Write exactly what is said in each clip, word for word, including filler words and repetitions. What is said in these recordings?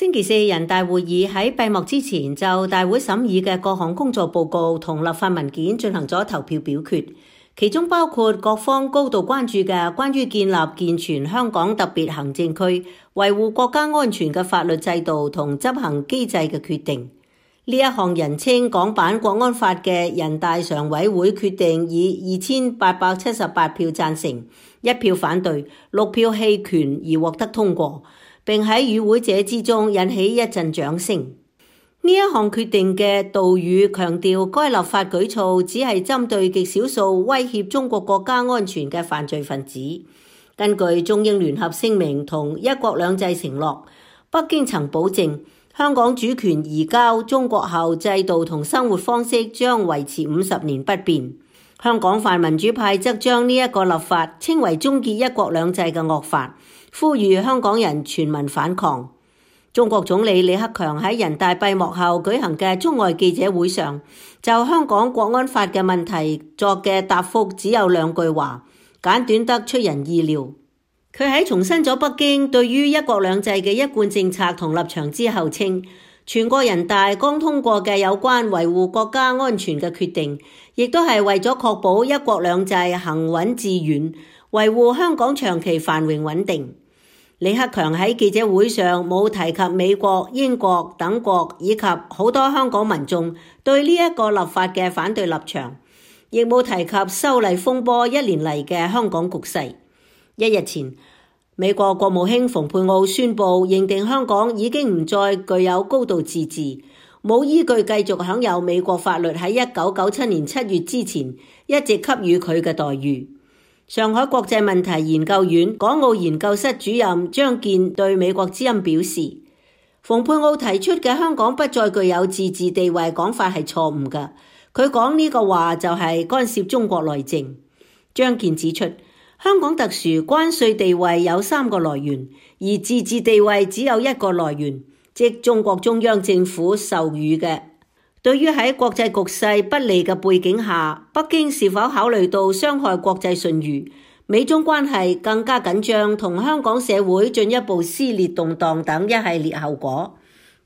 星期四人大會議喺閉幕之前就大會審議嘅各項工作報告同立法文件進行咗投票表決，其中包括各方高度關注嘅關於建立健全香港特別行政區、維護國家安全嘅法律制度同執行機制嘅決定。呢一項人稱港版國安法嘅人大常委會決定以二千八百七十八票贊成、一票反對、六票棄權而獲得通過，並喺與會者之中引起一陣掌聲。呢一項決定嘅導語強調，該立法舉措只係針對極少數威脅中國國家安全嘅犯罪分子。根據中英聯合聲明同一國兩制承諾，北京曾保證香港主權移交中國後，制度同生活方式將維持五十年不變。香港泛民主派則將呢一個立法稱為終結一國兩制嘅惡法，呼籲香港人全民反抗。中國總理李克強喺人大閉幕後舉行嘅中外記者會上，就香港國安法嘅問題作嘅答覆只有兩句話，簡短得出人意料。佢喺重申咗北京對於一國兩制嘅一貫政策同立場之後稱，全國人大剛通過嘅有關維護國家安全嘅決定，亦都係為咗確保一國兩制行穩致遠，維護香港長期繁榮穩定。李克強喺記者會上冇提及美國、英國等國以及好多香港民眾對呢一個立法嘅反對立場，亦冇提及修例風波一年嚟嘅香港局勢。一日前，美國國務卿蓬佩奧宣布認定香港已經唔再具有高度自治，冇依據繼續享有美國法律喺一九九七年七月之前一直給予佢嘅待遇。上海國際問題研究院港澳研究室主任張健對美國之音表示，蓬佩奧提出嘅香港不再具有自治地位講法係錯誤嘅，佢講呢個話就係干涉中國內政。張健指出，香港特殊關稅地位有三個來源，而自治地位只有一個來源，即中國中央政府授予嘅。對於喺國際局勢不利嘅背景下，北京是否考慮到傷害國際信譽、美中關係更加緊張同香港社會進一步撕裂動盪等一系列後果？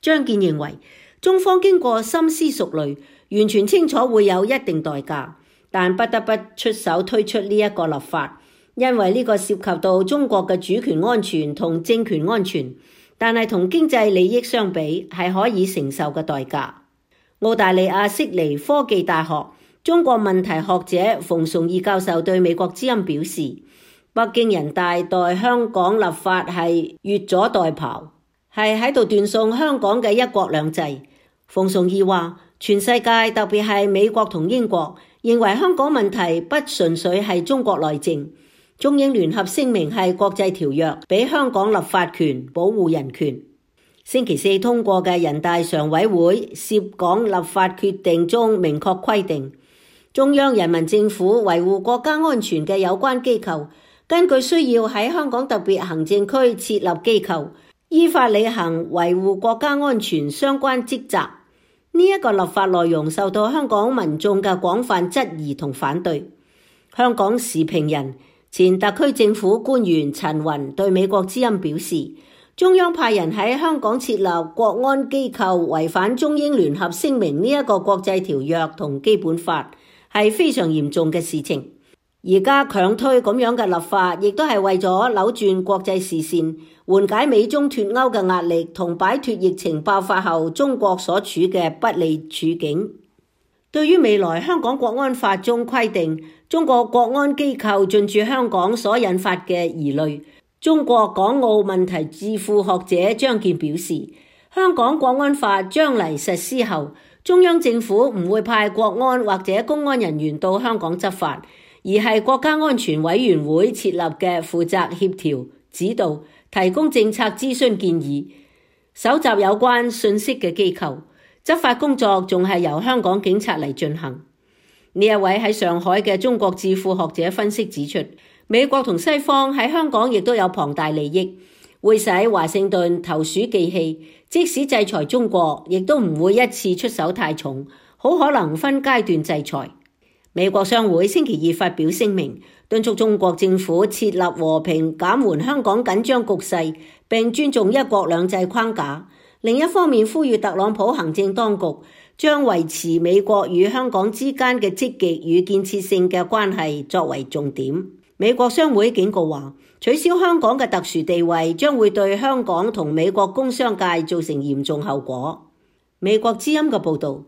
張健認為，中方經過深思熟慮，完全清楚會有一定代價，但不得不出手推出呢一個立法。因為呢個涉及到中國嘅主權安全同政權安全，但係同經濟利益相比係可以承受嘅代價。澳大利亞悉尼科技大學中國問題學者馮崇義教授對美國之音表示，北京人大代香港立法係越俎代庖，係喺度斷送香港嘅一國兩制。馮崇義話，全世界特別係美國同英國認為香港問題不純粹係中國內政。中英聯合聲明係國際條約，俾香港立法權，保護人權。星期四通過嘅人大常委會涉港立法決定中明確規定，中央人民政府維護國家安全嘅有關機構，根據需要喺香港特別行政區設立機構，依法履行維護國家安全相關職責。呢一個立法內容受到香港民眾嘅廣泛質疑同反對。香港時評人、前特區政府官員陳雲對美國之音表示，中央派人喺香港設立國安機構，違反中英聯合聲明呢一個國際條約同基本法，係非常嚴重嘅事情。而家強推咁樣嘅立法，亦都係為咗扭轉國際視線，緩解美中脫歐嘅壓力，同擺脫疫情爆發後中國所處嘅不利處境。對於未來香港國安法中規定中國國安機構進駐香港所引發嘅疑慮，中國港澳問題智庫學者張健表示，香港國安法將嚟實施後，中央政府唔會派國安或者公安人員到香港執法，而係國家安全委員會設立嘅負責協調、指導、提供政策諮詢建議、搜集有關信息嘅機構。執法工作仲係由香港警察嚟進行。呢一位喺上海嘅中國智庫學者分析指出，美國同西方喺香港亦都有龐大利益，會使華盛頓投鼠忌器，即使制裁中國，亦都唔會一次出手太重，好可能分階段制裁。美國商會星期二發表聲明，敦促中國政府設立和平減緩香港緊張局勢，並尊重一國兩制框架。另一方面，呼籲特朗普行政當局將維持美國與香港之間嘅積極與建設性嘅關係作為重點。美國商會警告話，取消香港嘅特殊地位將會對香港同美國工商界造成嚴重後果。美國之音嘅報導。